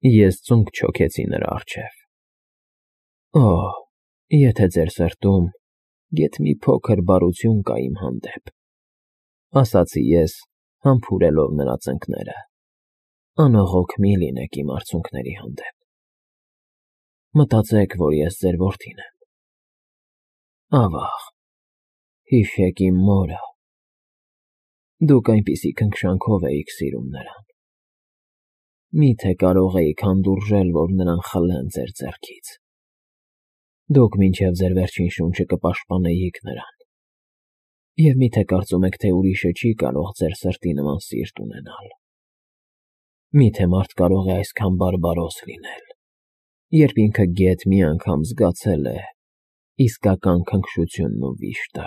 Ես ծունկ չոքեցի նրա առջև։ Օ, եթե ձեր սրտում գեթ մի փոքր բարություն կա իմ հանդեպ, ասացի ես, համբուրելով նրա ծնկները, անողոք մի լինեք իմ արցունքների հանդեպ։ Մտածեք, որ ես ձեր որդին եմ։ Ավաղ, հիշեք իմ մորը։ Դուք այնպիսի քնքշանքով էիք սիրում նրան։ Միթե կարող էիք հանդուրժել, որ նրան խլեն ձեր ձեռքից։ Դուք մինչև ձեր վերջին շունչը կպաշտպանեիք նրան։ Եվ միթե կարծում եք, թե ուրիշը չի կարող ձեր սրտի նման սիրտ ունենալ։ Միթե մարդ կարող է այսքան բարբարոս լինել, երբ ինքը գեթ մի անգամ զգացել է իսկական քնքշությունն ու վիշտը։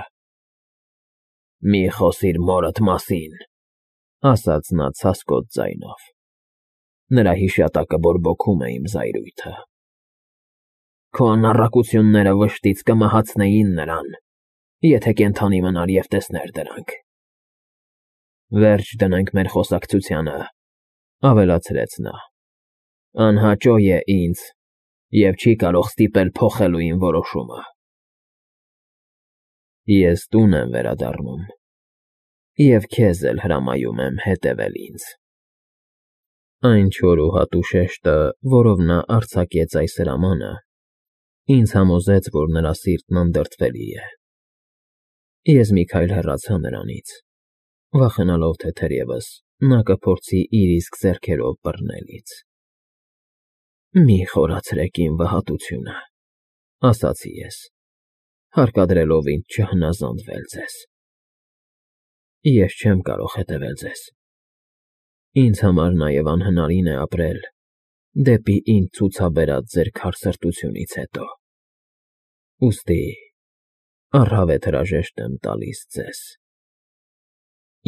Մի խոսիր մորդ մասին, ասաց նա ցասկոտ ձայնով։ Նրա հիշատակը բորբոքում է իմ զայրույթը։ Քո անառակությունները վշտից կմահացնեին նրան, եթե կենդանի մնար և տեսներ դրանք։ Վերջ դնենք մեր խոսակցությանը, ավելացրեց նա։ Անհաճո է ինձ և չի կարող ստիպել փոխելու իմ որոշումը։ Ես տուն եմ վերադառնում և քեզ էլ հրամայում եմ հետևել ինձ։ Այն չոր ու հատուկ շեշտը, որով նա արձակեց այս հրամանը, ինձ համոզեց, որ նրա սիրտն անդրդվելի է։ Ես մի քայլ հեռացա նրանից, վախենալով, թե թերևս նա կփորձի իր իսկ ձեռքերով բռնել ինձ։ Մի խորացրեք իմ վհատությունը, ասացի ես, հարկադրելով ինձ չհնազանդվել ձեզ։ Ես չեմ կարող հետևել ձեզ։ Ինձ համար նաև անհնարին է ապրել դեպի ինձ ցուցաբերած ձեր քարսրտությունից հետո։ Ուստի առհավետ հրաժեշտ եմ տալիս ձեզ։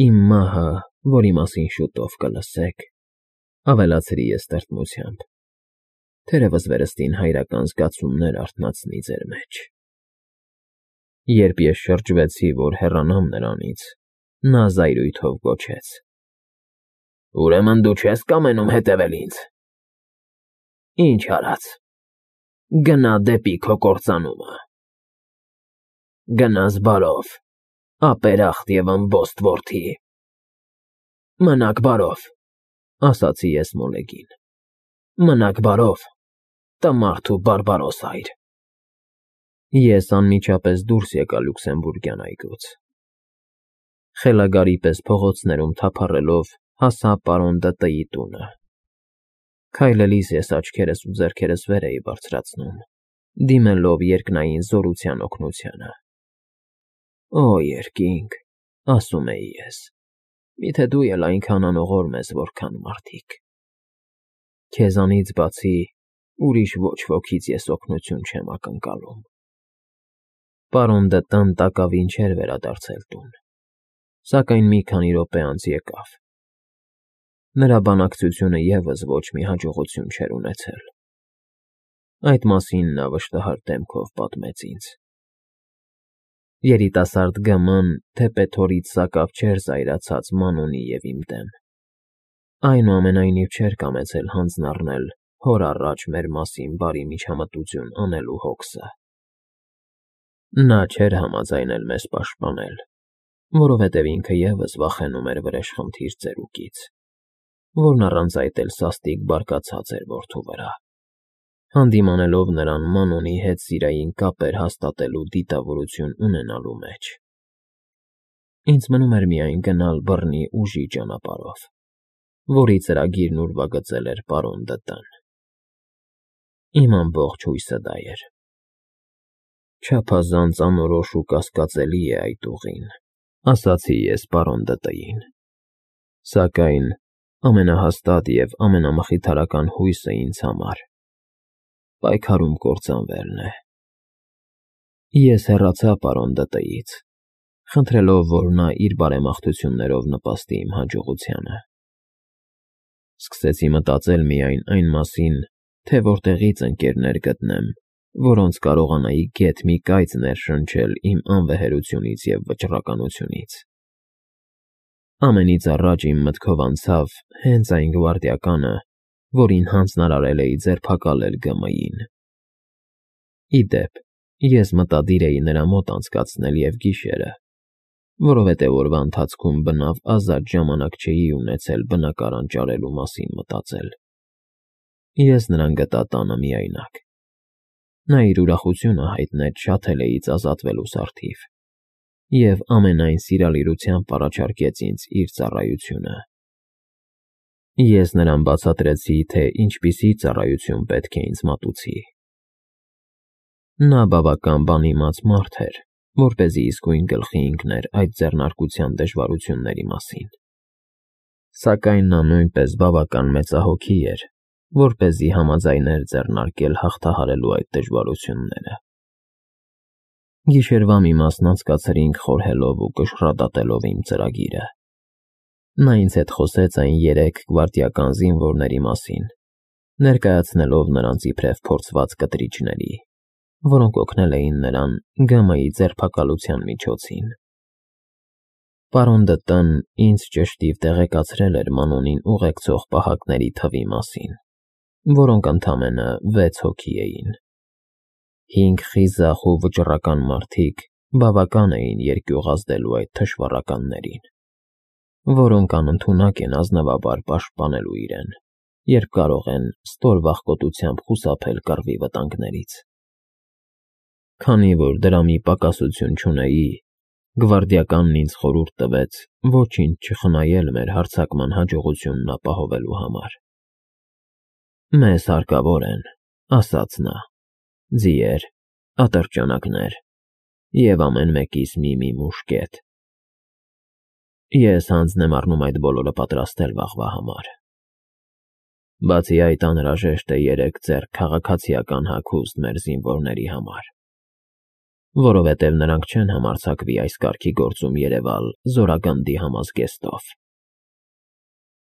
Իմ մահը, որի մասին շուտով կլսեք, ավելացրի ես տրտմությամբ, թերևս վերստին հայրական զգացումներ արթնացնի ձեր մեջ։ Երբ ես շրջվեցի, որ հեռանամ նրանից, նա զայրույթով գոչեց. Ուրեմն դու չես կամենում հետևել ինձ։ Ինչ արած, գնա դեպի քո կործանումը։ Գնաս բարով, ապերախտ և ըմբոստ որդի։ Մնաք բարով, ասացի ես մոլեգին։ Մնաք բարով, տմարդ ու բարբարոս հայր։ Ես անմիջապես դուրս եկա Լյուքսեմբուրգյան այգուց։ Խելագարի պես փողոցներում թափառելով հասա պարոն Դ.Տ.-ի տունը։ Քայլելիս ես աչքերս ու ձեռքերս վեր էի բարձրացնում, դիմելով երկնային զորության օգնությանը։ Օ, երկինք, ասում էի ես, միթե դու էլ այնքան անողորմ ես, որքան մարդիկ։ Քեզանից բացի ուրիշ ոչ ոքից ես օգնություն չեմ ակնկալում։ Պարոն Դ.Տ.-ն տակավին չէր վերադարձել տուն, սակայն մի քանի րոպե անց եկավ։ Նրա բանակցությունը ևս ոչ մի հաջողություն չէր ունեցել։ Այդ մասին նա վշտահար դեմքով պատմեց ինձ։ Երիտասարդ Գ.Մ.-ն թեպետ հորից սակավ չէր զայրացած Մանոնի և իմ դեմ։ Այնուամենայնիվ չէր կամեցել հանձն առնել հոր առաջ մեր մասին բարի միջամտություն անելու հոգսը։ Նա չէր համաձայնել մեզ պաշտպանել, որովհետև ինքը ևս վախենում էր վրեժխնդիր ծերուկից, որն առանց այդ էլ սաստիկ բարկացած էր որդու վրա, հանդիմանելով նրան Մանոնի հետ սիրային կապեր հաստատելու դիտավորություն ունենալու մեջ։ Ինձ մնում էր միայն գնալ բռնի ուժի ճանապարհով, որի ծրագիրն ուրվագծել էր պարոն Դ.Տ.-ն։ Իմ ամբողջ հույսը դա էր։ Չափազանց անորոշ ու կասկածելի է այդ ուղին, ասացի ես պարոն Դ.Տ.-ին, սակայն ամենահաստատ և ամենամխիթարական հույսը ինձ համար պայքարում կործանվելն է։ Ես հեռացա պարոն Դ.Տ.-ից, խնդրելով, որ նա իր բարեմաղթություններով նպաստի իմ հաջողությանը։ Սկսեցի մտածել միայն այն մասին, թե որտեղից ընկերներ գտնեմ, որոնց կարողանայի գեթ մի կայծ ներշնչել իմ անվեհերությունից և վճռականությունից։ Ամենից առաջ իմ մտքով անցավ հենց այն գվարդիականը, որին հանձնարարել էի ձերբակալել ԳՄ-ին։ Ի դեպ, ես մտադիր էի նրա մոտ անցկացնել և գիշերը, որովհետև օրվա ընթացքում բնավ ազատ ժամանակ չէի ունեցել բնակարան ճարելու մասին մտածել։ Ես նրան գտա տանը միայնակ։ Նա իր ուրախությունը հայտնեց Շաթելեից ազատվելու սարթիվ և ամենայն սիրալիրությամբ առաջարկեց ինձ իր ծառայությունը։ Ես նրան բացատրեցի, թե ինչպիսի ծառայություն պետք է ինձ մատուցի։ Նա բավական բանիմաց մարդ էր, որպեսզի իսկույն գլխի ընկներ այդ ձեռնարկության դժվարությունների մասին։ Սակայն նա նույնպես բավական մեծահոգի էր, որպեսզի համաձայներ ձեռնարկել հաղթահարելու այդ դժվարությունները։ Գիշերվա մի մասն անցկացրինք խորհելով ու կշռադատելով իմ ծրագիրը։ Նա ինձ հետ խոսեց այն 3 գվարդիական զինվորների մասին, ներկայացնելով նրանց իբրև փորձված կտրիչների, որոնք օգնել էին նրան ԳՄ-ի ձերբակալության միջոցին։ Պարոն Դտն ինձ ճշտիվ տեղեկացրել էր Մանոնին ուղեկցող պահակների թվի մասին, որոնք ընդամենը 6 հոգի էին։ 5 խիզախ ու վճռական մարդիկ բավական էին երկյուղ ազդելու այդ թշվառականներին, որոնք անընդունակ են ազնվաբար պաշտպանելու իրեն, երբ կարող են ստոր վախկոտությամբ խուսափել կռվի վտանգներից։ Քանի որ դրա մի պակասություն չունեի, գվարդիականն ինձ խորհուրդ տվեց ոչինչ չխնայել մեր հարձակման հաջողությունն ապահովելու համար։ «Մեզ հարկավոր են,» ասաց նա, «ձիեր, ատրճանակներ և ամեն մեկիս մի մուշկետ։ Ես հանձն եմ առնում այդ բոլորը պատրաստել վաղվա համար։ Բացի այդ, անհրաժեշտ է 3 ձեռք քաղաքացիական հագուստ մեր զինվորների համար, որովհետև նրանք չեն համարձակվի այս կարգի գործում երևալ զորագնդի համազգեստով»։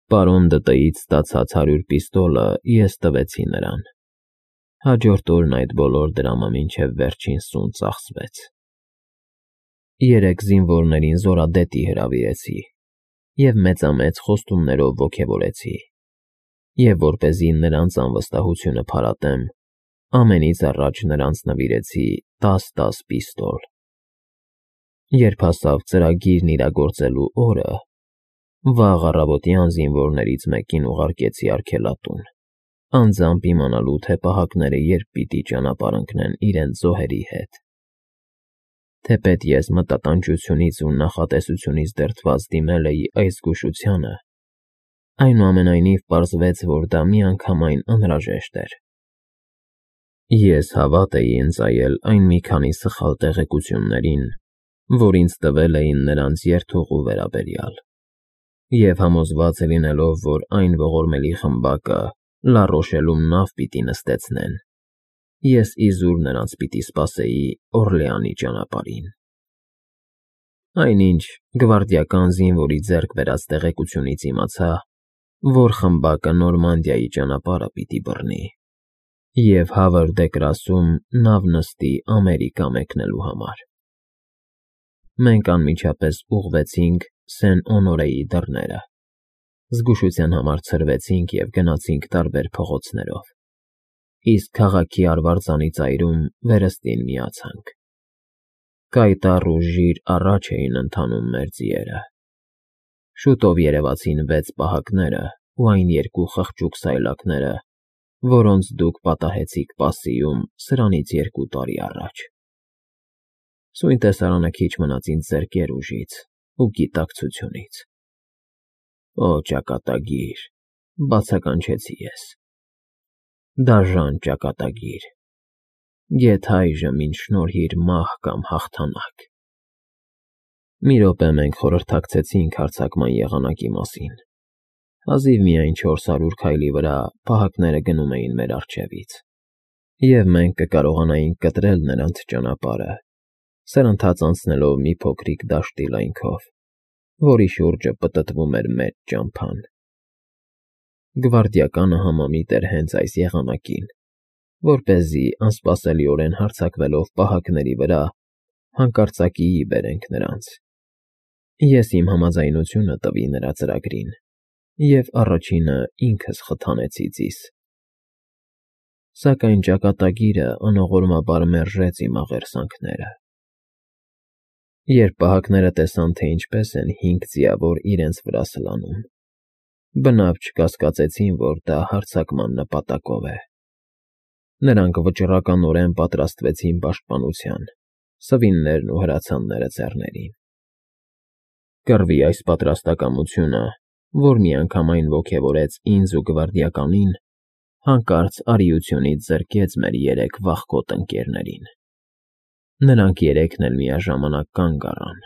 Պարոն Դտից ստացած 100 պիստոլը ես տվեցի նրան։ Հաջորդ օրն այդ բոլոր դրամը մինչև վերջին սուն ծախսվեց։ 3 զինվորներին զորադետի հրավիրեցի և մեծամեծ խոստումներով ոգևորեցի, և որպեսզի նրանց անվստահությունը փարատեմ, ամենից առաջ նրանց նվիրեցի 10 պիստոլ։ Երբ հասավ ծրագիրն իրագործելու օրը, վաղ առավոտյան զինվորներից մեկին ուղարկեցի արգելատուն, անձամբ իմանալու, թե պահակները երբ պիտի ճանապարհ ընկնեն իրենց զոհերի հետ։ Թեպետ ես մտատանջությունից ու նախատեսությունից դրդված դիմել էի այս զգուշությանը, այնուամենայնիվ պարզվեց, որ դա միանգամայն անհրաժեշտ էր։ Ես հավատ էի ընծայել այն մի քանի սխալ տեղեկություններին, որ ինձ տվել էին նրանց երթուղու վերաբերյալ, և համոզված լինելով, որ այն ողորմելի խմբակը Լառոշելում նավ պիտի նստեցնեն, ես իզուր նրանց պիտի սպասեի Օրլեանի ճանապարհին։ Այնինչ գվարդիական զինվորի ձեռք բերած տեղեկությունից իմացա, որ խմբակը Նորմանդիայի ճանապարհը պիտի բռնի և Հավր դե Կրասում նավ նստի Ամերիկա մեկնելու համար։ Մենք անմիջապես ուղղվեցինք Սեն֊Օնորեի դռները, զգուշության համար ցրվեցինք և գնացինք տարբեր փողոցներով, իսկ քաղաքի արվարձանի ծայրում վերստին միացանք։ Կայտառ ու ժիր առաջ էին ընթանում մեր ձիերը։ Շուտով երևացին 6 պահակները ու այն 2 խղճուկ սայլակները, որոնց դուք պատահեցիք Պասիում սրանից 2 տարի առաջ։ Սույն տեսարանը քիչ մնաց ինձ զրկեր ուժից ու գիտակցությունից։ Օ ճակատագիր, բացականչեցի ես, դաժան ճակատագիր, գեթ այժմ ինձ շնորհիր մահ կամ հաղթանակ։ Մի րոպե մենք խորհրդակցեցինք հարձակման եղանակի մասին։ Հազիվ միայն 400 քայլի վրա պահակները գնում էին մեր առջևից, և մենք կկարողանայինք կտրել նրանց ճանապարհը, սրընթաց անցնելով մի փոքրիկ դաշտի լայնքով, որի շուրջը պտտվում էր մեծ ճամփան։ Գվարդիականը համամիտ էր հենց այս եղանակին, որպեսզի անսպասելիորեն հարձակվելով պահակների վրա հանկարծակիի բերենք նրանց։ Ես իմ համաձայնությունը տվի նրա ծրագրին և առաջինը ինքս խթանեցի ձիզ։ Սակայն ճակատագիրը անողորմաբար մերժեց իմ աղերսանքները։ Երբ պահակները տեսան, թե ինչպես են 5 ձիավոր իրենց վրա սլանում, բնավ չկասկածեցին, որ դա հարձակման նպատակով է։ Նրանք վճռականորեն պատրաստվեցին պաշտպանության, սվիններն ու հրացանները ձեռներին։ Կռվի այս պատրաստակամությունը, որ միանգամայն ոգևորեց ինձ ու գվարդիականին, հանկարծ արիությունից զրկեց մեր 3 վախկոտ ընկերներին։ Նրանք 3-ն էլ միաժամանակ կանգ առան,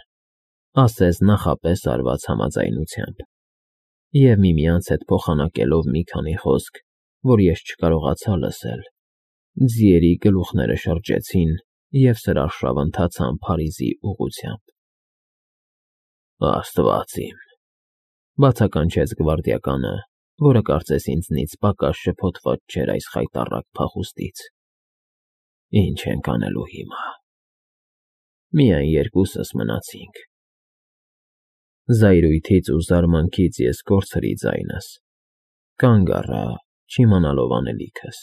ասես նախապես արված համաձայնությամբ, և միմյանց հետ փոխանակելով մի քանի խոսք, որ ես չկարողացա լսել, ձիերի գլուխները շրջեցին և սրարշավ ընթացան Փարիզի ուղղությամբ։ «Աստված իմ», բացականչեց գվարդիականը, որը կարծես ինձնից պակաս շփոթված չէր այս խայտառակ փախուստից։ «Ինչ ենք անելու հիմա»։ Միայն 2-ս մնացինք։ Զայրույթից ու զարմանքից ես կորցրի ձայնս, կանգ առա, չիմանալով անելիքս,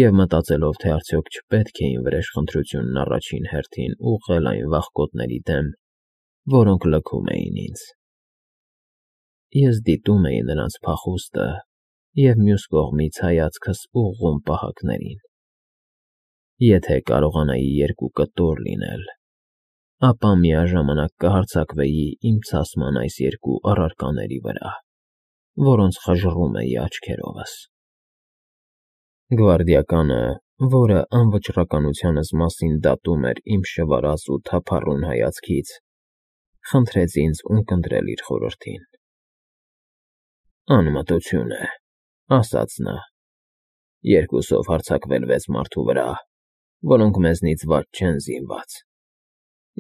և մտածելով, թե արդյոք չպետք է իմ վրեժխնդրությունն առաջին հերթին ուղղել այն վախկոտների դեմ, որոնք լքում էին ինձ։ Ես դիտում էի նրանց փախուստը և մյուս կողմից հայացքս ուղղում պահակներին։ Եթե կարողանայի 2 կտոր լինել, ապա միաժամանակ կհարձակվեի իմ ցասման այս 2 առարկաների վրա, որոնց խժռում էի աչքերովս։ Գվարդիականը, որը անվճռականությանս մասին դատում էր իմ շվարած ու թափառուն հայացքից, խնդրեց ինձ ունկնդրել իր խորհրդին։ «Անմտություն է», ասաց նա, 2-ով հարձակվել 6 մարդու վրա, որոնք մեզնից վատ չեն զինված,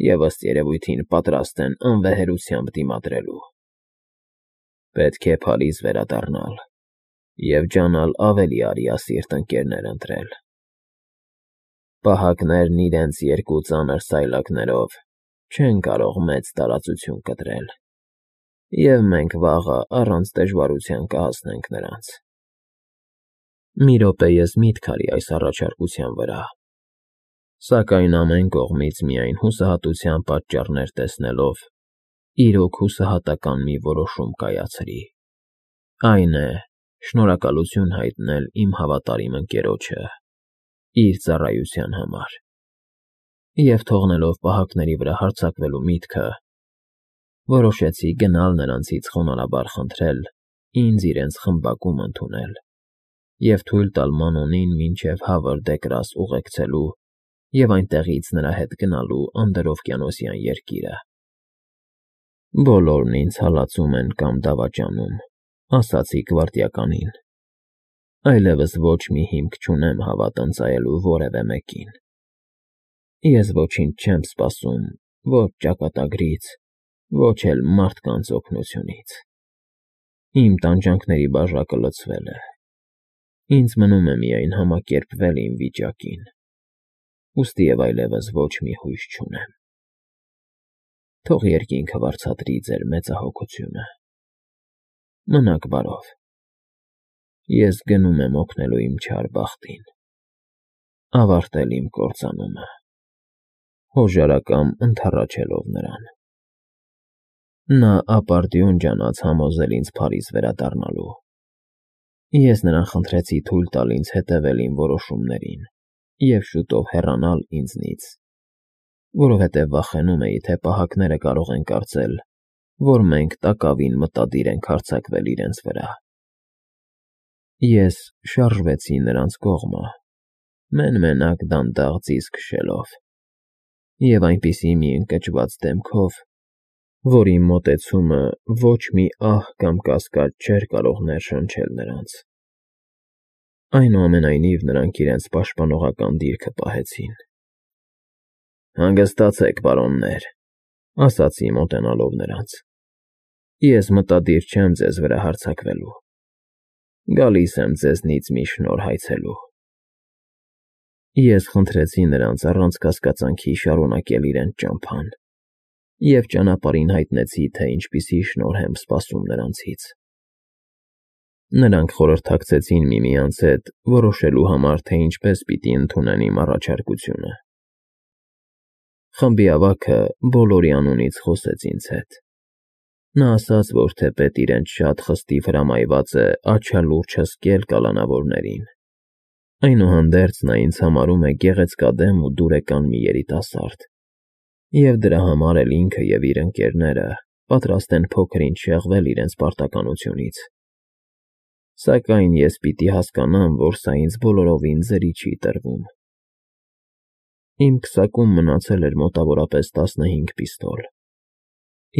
և ըստ երևույթին պատրաստ են անվեհերությամբ դիմադրելու։ Պետք է Փարիզ վերադառնալ և ջանալ ավելի արիասիրտ ընկերներ ընտրել։ Պահակներն իրենց 2 ծանր սայլակներով չեն կարող մեծ տարածություն կտրել, և մենք վաղը առանց դժվարության կհասնենք նրանց»։ Մի րոպե ես միտք արի այս առաջարկության վրա, սակայն ամեն կողմից միայն հուսահատության պատճառներ տեսնելով, իրոք հուսահատական մի որոշում կայացրի, այն է, շնորհակալություն հայտնել իմ հավատարիմ ընկերոջը իր ծառայության համար, և թողնելով պահակների վրա հարձակվելու միտքը, որոշեցի գնալ նրանցից խոնարհաբար խնդրել ինձ իրենց խմբակում ընդունել և թույլ տալ Մանոնին մինչև Հավր դե Գրաս ուղեկցելու և այնտեղից նրա հետ գնալու անդրօվկիանոսյան երկիրը։ «Բոլորն ինձ հալածում են կամ դավաճանում», ասացի գվարդիականին, այլևս ոչ մի հիմք չունեմ հավատ ընծայելու որևէ մեկին։ Ես ոչինչ չեմ սպասում ոչ ճակատագրից, ոչ էլ մարդկանց օգնությունից։ Իմ տանջանքների բաժակը լցվել է։ Ինձ մնում է միայն համակերպվել իմ վիճակին, ուստիև այլևս ոչ մի հույս չունեմ։ Թող երկինքը վարձատրի ձեր մեծահոգությունը։ Մնաք բարով։ Ես գնում եմ օգնելու իմ չար բախտին, ավարտել իմ կործանումը, հոժարակամ ընդառաջելով նրան։ Նա ապարդյուն ջանաց համոզել ինձ Փարիզ վերադառնալու։ Ես նրան խնդրեցի թույլ տալ ինձ հետևել իմ որոշումներին և շուտով հեռանալ ինձնից, որովհետև վախենում էի, թե պահակները կարող են կարծել, որ մենք տակավին մտադիր ենք հարձակվել իրենց վրա։ Ես շարժվեցի նրանց կողմը, մեն֊մենակ դանդաղ ձիզ քշելով, և այնպիսի մի ընկճված դեմքով, որ իմ մոտեցումը ոչ մի ահ կամ կասկած չէր կարող ներշնչել նրանց։ Այնուամենայնիվ նրանք իրենց պաշտպանողական դիրքը պահեցին։ «Հանգստացեք, պարոններ», ասացի մոտենալով նրանց։ «Ես մտադիր չեմ ձեզ վրա հարձակվելու։ Գալիս եմ ձեզնից մի շնորհ հայցելու»։ Ես խնդրեցի նրանց առանց կասկածանքի շարունակել իրենց ճամփան և ճանապարհին հայտնեցի, թե ինչպիսի շնորհ եմ սպասում նրանցից։ Նրանք խորհրդակցեցին միմյանց հետ, որոշելու համար, թե ինչպես պիտի ընդունեն իմ առաջարկությունը։ Խմբի ավագը բոլորի անունից խոսեց ինձ հետ։ Նա ասաց, որ թեպետ իրենց շատ խստիվ հրամայված է աչալուրջ հսկել կալանավորներին։ Այնուհանդերձ նա ինձ համարում է գեղեցկադեմ ու դուրեկան մի երիտասարդ, և դրա համար էլ ինքը և իր ընկերները պատրաստ են փոքր-ինչ շեղվել իրենց պարտականությունից։ Սակայն ես պիտի հասկանամ, որ սա ինձ բոլորովին ձրի չի տրվում։ Իմ քսակում մնացել էր մոտավորապես 15 պիստոլ։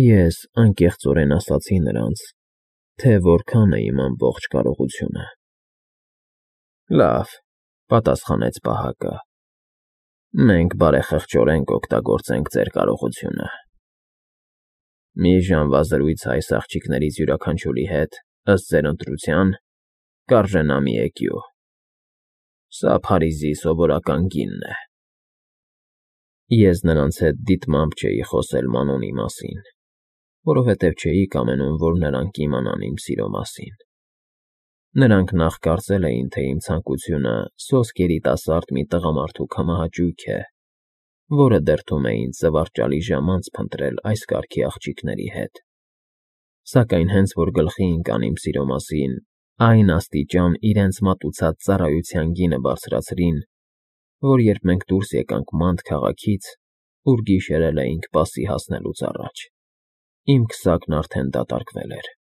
Ես անկեղծորեն ասացի նրանց, թե որքան է իմ ամբողջ կարողությունը։ Լավ, պատասխանեց պահակը։ Մենք բարեխղճորեն կօգտագործենք ձեր կարողությունը։ Մի ժամվա զրույց այս աղջիկներից յուրաքանչյուրի հետ, ըստ ձեր ընտրության, կարժենա մի էկյու։ Սա Փարիզի սովորական գինն է։ Ես նրանց հետ դիտմամբ չէի խոսել Մանոնի մասին, որովհետև չէի կամենում, որ նրանք իմանան իմ սիրո մասին։ Նրանք նախ կարծել էին, թե իմ ցանկությունը սոսկ երիտասարդ մի տղամարդու կամահաճույք է, որը դրդում է ինձ զվարճալի ժամանց փնտրել այս կարգի աղջիկների հետ։ Սակայն հենց որ գլխի ընկան իմ սիրո մասին, այն աստիճան իրենց մատուցած ծառայության գինը բարձրացրին, որ երբ մենք դուրս եկանք Մանտ քաղաքից, ուր գիշերել էինք Պասի հասնելուց առաջ, իմ քսակն արդեն դատարկվել էր։